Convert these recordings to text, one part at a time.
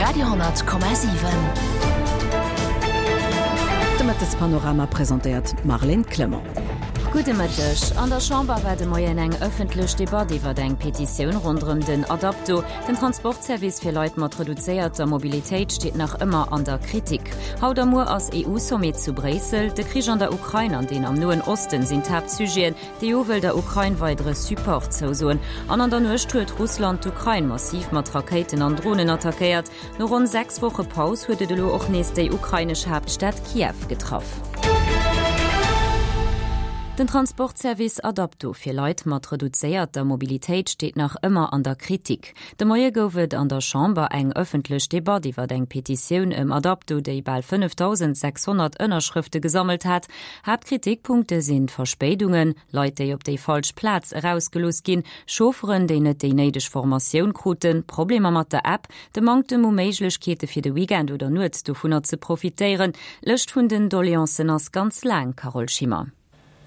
Radio 10,7. De Mëttespanorama presentéiert d'Marlène Clement. Gudde Mëtteg. An der Chamber war de Moien eng ëffentlech Debatt iwwer eng Petitioun ronderëm den Adapto. Den Transportservice fir Leit mat reduzéierter Mobilitéit steet nach ëmmer an der Kritik. Haut a muer ass EU-Sommet zu Bréissel. De Krich an der Ukrain an deen am Noen Osten sinn d'Haaptsujeten. D'EU wëll der Ukrain weidere Support zousoen. An an der Nuecht huet Russland d'Ukrain massiv mat Rakéiten an Dronen attackéiert. No ronn 6 Woche Paus huet et elo och nees déi ukrainesch Haaptstad Kiew getraff. Den Transportservice Adapto fir Leit mat reduzéierter Mobilitéit steet nach ëmmer an der Kritik. De Moie gouf et an der Chamber eng ëffentlech Debatt iwwer eng Petitioun ëm Adapto, déi bal 5.600 Ënnerschrëfte gesammelt hat. Haaptkritikpunkte sinn d'Verspéidungen, Leit, déi op déi falsch Plaz erausgelooss ginn, Chaufferen, déi net déi néideg Formatioun kruten, Problemer mat der App, de Manktem u Méiglechkeete fir de Weekend oder nuets dovunner ze profitéieren. D'Lëscht vun den Doleancen ass ganz laang, Carole Schimmer.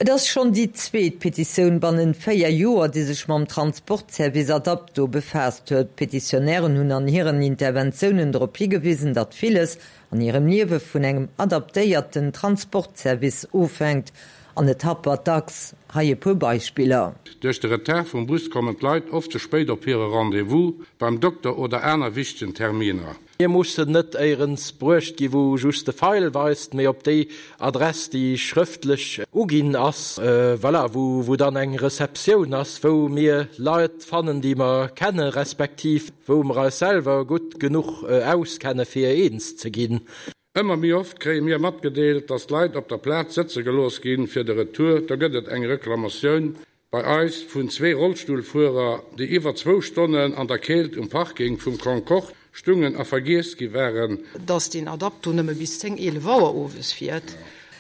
Et ass schonn déi zweet Petitioun bannent 4 Joer, déi sech mam Transportservice Adapto befaasst huet. D'Petitionnairen hunn an hiren Interventiounen drop higewisen, datt villes an hirem Liewe vun engem adaptéierten Transportservice ofhänkt an et happert dacks. Hei e puer Beispiller. Duerch de Retard vum Bus kommen d'Leit oft ze spéit op hire Rendez-vous beim Dokter oder aner wichtegen Terminer. Mir mussen net éierens bruecht gi wou just de Feil weist, mee op déi Adress déi schrëftlech uginn ass, voilà, wou dann eng Receptioun ass, wou mir Leit fannen déi mer kenne respektiv wou mer eis selwer gutt genuch auskenne fir eens ze ginn. Ëmmer méi oft kréie mir matgedeelt, dass d'Leit op der Plaz sëtze gelooss ginn fir de Retour. Da gëtt et eng Reklamatioun bei eis vun zwee Rollstullfuerer, déi iwwer zwou Stonnen an der Keelt um Parking vum Concorde stungen a vergiess gi waren. Dass deen Adapto nëmme bis 10, 11 Auer owes fiert.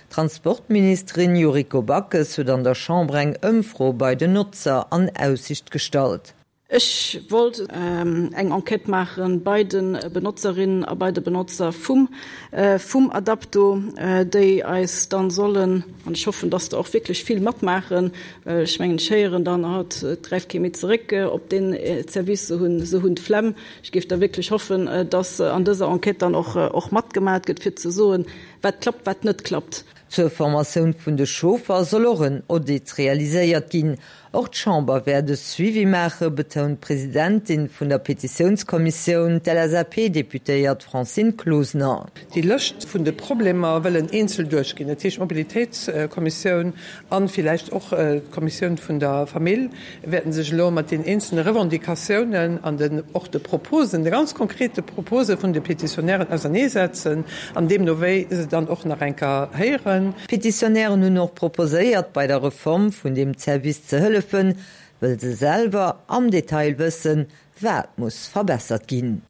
D'Transportministerin Yuriko Backes huet an der Chamber eng Ëmfro bei den Notzer an Aussicht gestallt. Ech wollt eng Enquête maache bei de Benotzerinnen a bei de Benotzer vum vum Adapto, déi eis dann sollen, an ech hoffen, dass der och wierklech vill matmaachen, well ech mengen, ech héieren dann, oh, et gräift kee méi zeréck op deen Service, se hunn se hunn d'Flemm. Ech géif da wierklech hoffen, dass an dëser Enquête dann och och matgemat gëtt, fir ze soen, wat klappt, wat net klappt. Zur Formatioun vun de Chauffer soll och en Audit realiséiert ginn. Och d'Chamber wäert e Suivi maachen, betount d'Presidentin vun der Petitiounskommissioun, d'LSAP-Deputéiert Francine Closener. Déi Lëscht vun de Problemer wëllen eenzel duerchginn, dat heescht d'Mobilitéitskommissioun a villäicht och d'Kommissioun vun der Famill wäerten sech elo mat den eenzelne Revendicatiounen an den och de Proposen, de ganz konkrete Propose vun de Petitionnairen auserneesetzen an deemno wéi se dann och nach eng Kéier héieren. D'Petitionnairen hunn och proposéiert, bei der Reform vun deem Service ze hëllefen, wëll se selwer am Detail wëssen, wat muss verbessert ginn.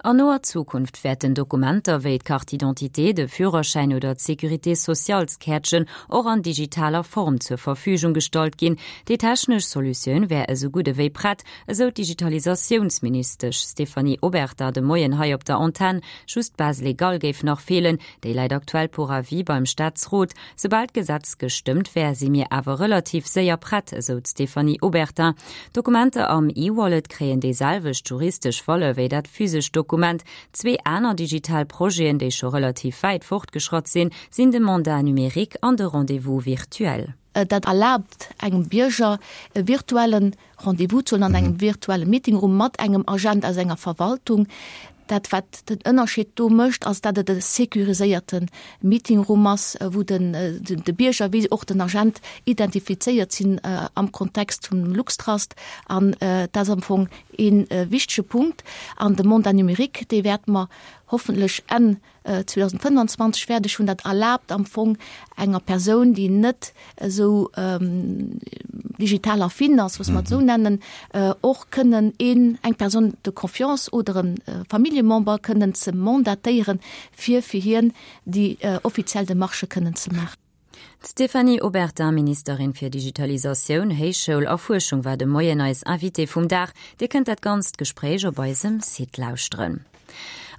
An noer Zukunft wäerten Dokumenter wéi d'Carte d'identité, de Führerschäin oder d'Sécurité socialskäertchen och an digitaler Form zur Verfügung gestallt ginn. Déi technesch Solutioun wär esou gutt ewéi prett, esou d'Digitalisatiounsministesch Stéphanie Obertin de Moien hei op der Antenn. Just d'Base légale géif nach feelen. Déi läit aktuell pour avis beim Staatsrot. Soubal d'Gesetz gestëmmt wär, si mir awer relativ séier prett, esou d'Stéphanie Obertin. D'Dokumenter am E-Wallet kréien déi selwecht juristesch Valeur wéi dat physescht Dokument. Zwee aner digital Projeten, déi scho relativ wäit fortgeschratt sinn, sinn de Mandat numérique an de Rendez-vous virtuel. Dat erlaabt engem Bierger e virtuelle Rendez-vous ze huelen an engem virtuelle Meetingroom mat engem Agent aus enger Verwaltung. Dat wat den Ënnerscheed do mécht, ass dat et e sécuriséierte Meetingroom ass, wou den de Bierger wéi och den Agent identifizéiert sinn am Kontext vum Luxtrust. An dat ass am Fong ee wichtege Punkt. An de Mandat numérique, dee wäerte mer hoffentlech Enn 2025 fäerdeg hunn. Dat erlaabt am Fong enger Persoun, déi net esou digital affin ass, loosse mer et esou nennen, och kënnen een, eng Personne de confiance oder e Familljemember kënnen ze mandatéieren, fir fir hien déi offiziell Demarchë kënnen ze maachen. D'Stéphanie Obertin, Ministerin fir Digitalisatioun, Héichschoul a Fuerschung war de Moien eis Invitée vum Dag. Dir kënnt dat ganzt Gespréich op eisem Site lauschteren.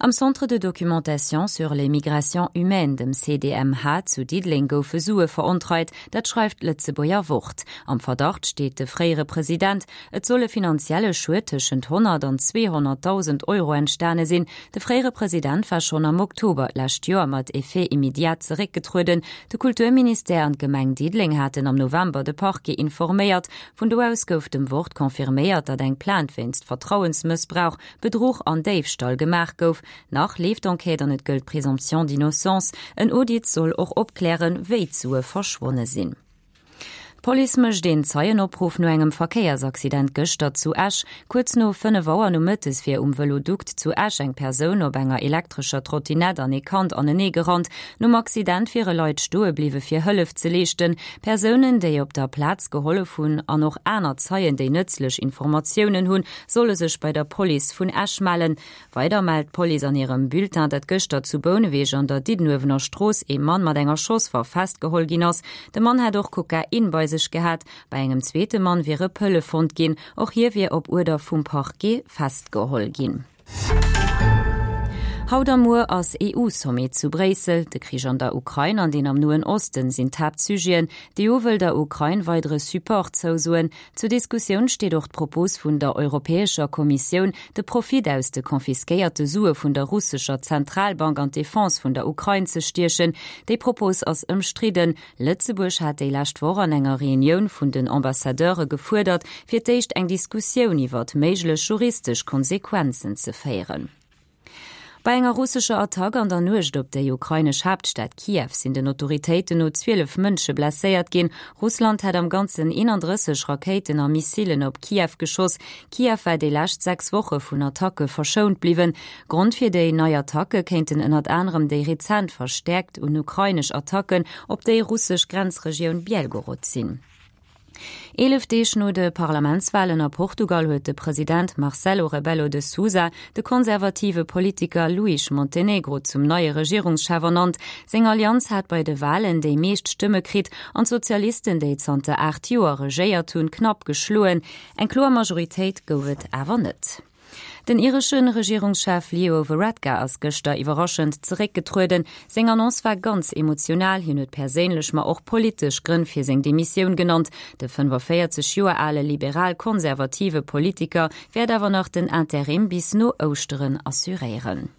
Am Centre de documentation sur les migrations humaines, dem CDMH zu Diddeleng goufe Sue verontreit, dat schreift d'Lëtzebuerger Wort. Am Verdacht steet de fréiere President. Et soll e finanzielle Schued tëschent 100 an 200.000 Euro entstane sinn. De fréiere President war schonn am Oktober d'lescht Joer mat Effet immédiat zeréckgetrueden. De Kulturministère an d'Gemeng Diddeleng haten am November de Parquet informéiert. Vun do aus gouf dem Wort confirméiert, datt eng Plainte wéinst Vertrauensmëssbrauch Bedruch an Déifstall gemaach gouf. Nach leeft d'Enquête an et gëllt d'Présomption d'innocence. En Audit soll och opklären, wéi d'Sue verschwonne sinn. D'Police mécht een Zeienopruff no engem Verkéiersaccident gëschter zu Esch. Kuerz no 5 Auer nomëttes wier um Vëlodukt zu Esch eng Persoun op enger elektrescher Trottinett an ee Kand anenee gerannt. Nom Accident wiere Leit stoe bliwwe fir Hëllef ze leeschten. Persounen, déi op der Plaz gehollef hunn an och aner Zeien, déi nëtzlech Informatiounen hunn, solle sech bei der Police vun Esch mellen. Weider mellt d'Police an hirem Bulletin, datt gëschter zu Bouneweg an der Diddenuewener Strooss ee Mann mat enger Schosswaff festgeholl ginn ass. De Mann hätt och Kokain bei sech gehat. Bei engem zweete Mann wiere Pëlle fonnt ginn. Och hie wier op Uerder vum Parquet festgeholl ginn. Haut a muer ass EU-Sommet zu Bréissel. De Krich an der Ukrain an deen am Noen Osten sinn d'Haaptsujeten. D'EU wëll der Ukrain weidere Support zousoen. Zur Diskussioun steet och d'Propos vun der Europäescher Kommissioun, de Profit aus de confisquéierte Sue vun der russescher Zentralbank an d'Defense vun der Ukrain ze stiechen. Déi Propos ass ëmstridden. Lëtzebuerg hat déi lescht Woch an enger Reunioun vun den Ambassadeure gefuerdert, fir d'éischt eng Diskussioun iwwert méiglech juristesch Konsequenzen ze féieren. Bei enger russescher Attack an der Nuecht op déi ukrainesch Haaptstad Kiew sinn den Autoritéiten no 12 Mënsche blesséiert ginn. Russland hätt am Ganzen 31 Rakéiten a Missilen op Kiew geschoss. Kiew war déi lescht 6 Woche vun Attacke verschount bliwwen. Grond fir déi nei Attacke kéinten ënnert anerem déi rezent verstäerkt un ukrainesch Attacken op déi russesch Grenzregioun Bielgorod sinn. 11 Deeg no de Parlamentswalen a Portugal huet de President Marcelo Rebelo de Sousa de konservative Politiker Luís Montenegro zum neie Regierungschef ernannt. Seng Allianz hat bei de Walen déi meescht Stëmme kritt an d'Sozialisten, déi zanter 8 Joer regéiert hunn, knapp geschloen. Eng kloer Majoritéit gouf et awer net. Den iresche Regierungschef Leo Varadkar ass gëschter iwwerraschend zeréckgetrueden. Seng Annonce war ganz emotional, hien huet perséinlech, ma och politesch Grënn fir seng Demissioun genannt. De 45 Joer ale liberal-konservative Politiker wäert awer nach den Interim bis no Ouschteren assuréieren.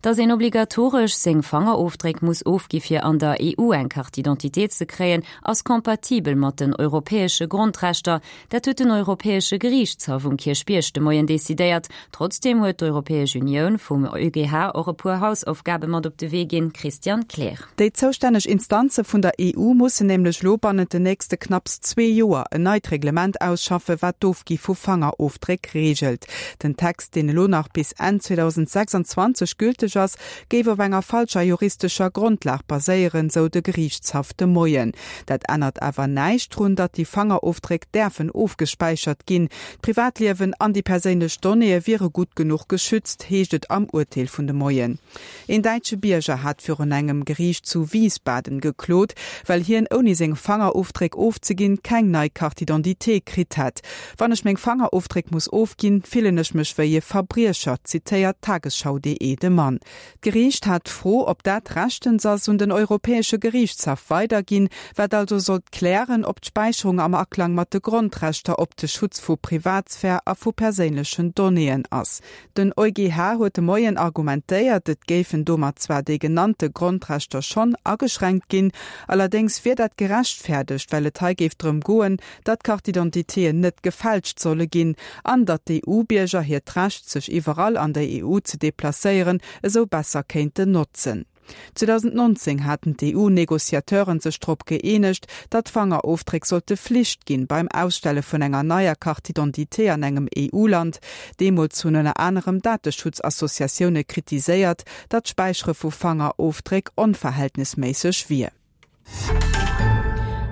Dass een obligatoresch seng Fangerofdréck muss ofgi fir an der EU eng Carte d'identité ze kréien, ass compatibel mat den europäesche Grondrechter. Dat huet den Europäesche Geriichtshaff um Kierchbierg de Moien decidéiert. Trotzdeem huet d'Europäesch Unioun vum EuGH och e puer Hausaufgabe mat op de Wee ginn, Christian Kleer. Déi zoustänneg Instanze vun der EU mussen nämlech elo bannent den nächste knapps zwee Joer en neit Reglement ausschaffe wat d'Ofgi vu Fangerofdréck reegelt. Den Text, deen elo nach bis Enn 2026 gülteg ass, géif op enger falscher juristescher Grondlag baséieren, sou de Geriichtshaff de Moien. Dat ännert awer näischt drun, datt déi Fangerofdréck däerfen ofgespäichert ginn. D'Privatliewen an déi perséinlech Donnéeë wiere gutt genuch geschützt, heescht et am Urteel vun de Moien. Een däitsche Bierger hat virun engem Geriicht zu Wiesbaden geklot, well hien ouni seng Fangerofdréck ofzeginn, keng nei Carte d'identité kritt hätt. Wann ech meng Fangerofdréck muss ofginn, fillen ech mech wéi e Verbriecher, zitéiert Tagesschau.de de Mann. D'Geriicht hat d'Fro, ob dat rechtens ass, un den Europäesche Geriichtshaff weiderginn, wat also sollt klären, ob d'Späicherung am Aklang mat de Grondrechter op de Schutz vu Privatsphär a vu perséinlechen Donnéeën ass. Den EuGH huet de Moien argumentéiert, et géifen domat zwar déi genannte Grondrechter schonn ageschränkt ginn, allerdéngs wier dat gerechtfäerdegt, well et hei géif drëm goen, datt Carte-d'identitéen net gefälscht solle ginn an datt d'EU-Bierger hiert Recht, sech iwwerall an der EU ze deplacéieren, esou besser kéinten notzen. 2019 haten d'EU-Negociateuren sech drop gëeenegt, datt Fangerofdréck sollte Flicht ginn beim Ausstelle vun enger neier Carte d'identité an engem EU-Land. Deemools hunn ënner anerem Dateschutzassociatioune kritiséiert, datt d'Späichere vu Fangerofdréck onverhältnesméisseg wier.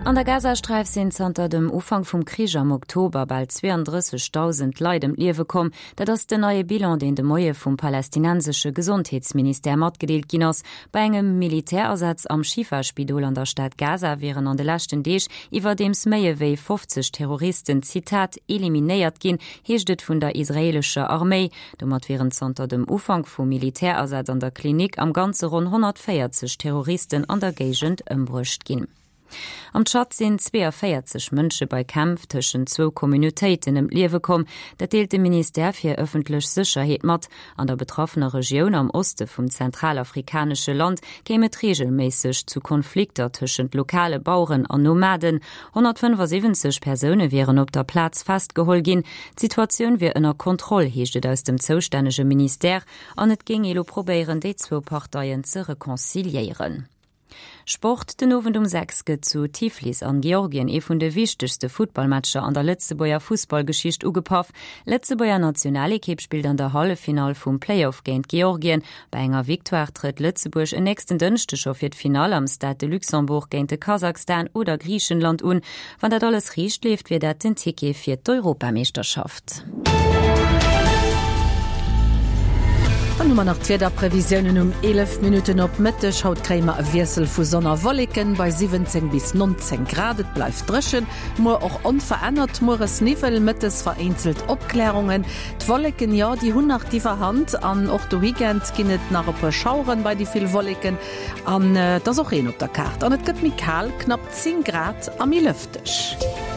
An der Gazasträif sinn zanter dem Ufank vum Krich am Oktober bal 32.000 Leit ëm d'Liewe komm. Dat ass den neie Bilan, deen de Moie vum palästinensesche Gesondheetsministère matgedeelt ginn ass. Bei engem Militärasaz am Schifa-Spidol an der Stad Gaza wieren an de leschten Deeg iwwerdeems méi ewéi 50 Terroristen, Zitat, eliminéiert ginn, heescht et vun der israeelescher Arméi. Domat wieren zanter dem Ufank vum Militärasaz an der Klinik am Ganze ronn 140 Terroristen an der Géigend ëmbruecht ginn. Am Tschad sinn 42 Mënsche bei Kämpf tëschent zwou Communautéiten ëm d'Liewe komm. Dat deelt de Ministère fir ëffentlech Sécherheet mat. An der betraffener Regioun am Oste vum zentralafrikanesche Land kéim et reegelméisseg zu Konflikter tëschent lokale Baueren an Nomaden. 175 Persoune wieren op der Plaz festgeholl ginn. D'Situatioun wier ënner Kontroll, heescht et aus dem zoustännege Ministère, an et géing ee lo probéieren, déi zwou Parteien ze reconciliéieren. Sport, Den Owend um 6 gëtt zu Tiflis an Georgien ee vun de wichtegste Futtballmatcher an der Lëtzebuerger Fussballgeschicht ugepaff. Lëtzebuerger Nationalekipp spillt an der Halleffinall vum Playoff géint Georgien. Bei enger Victoire trëtt Lëtzebuerg en nächsten Dënschdeg scho fir d'Finall am Stade de Luxembourg géint de Kasachstan oder Griichenland un. Wann dat alles riicht leeft, wier dat den Ticket fir d'Europameeschterschaft. Dann hu mer nach d'Wiederprevisiounen um 11 Minutten op Mëtteg. Haut kréie mer e Wiessel vu Sonn a Wolleken bei 17 bis 19 Grad. Et bleift dréchen, muer och onverännert. Mueres Niwwel, mëttes vereenzelt Opklärungen. D'Wolleken, jo, déi hunn nach d'Iwwerhand an och de Weekend ginn et nach e puer Schaueren bei déi vill Wolleken an et ass och Reen op der Kaart an et gëtt méi kal, knapp 10 Grad a méi lëfteg.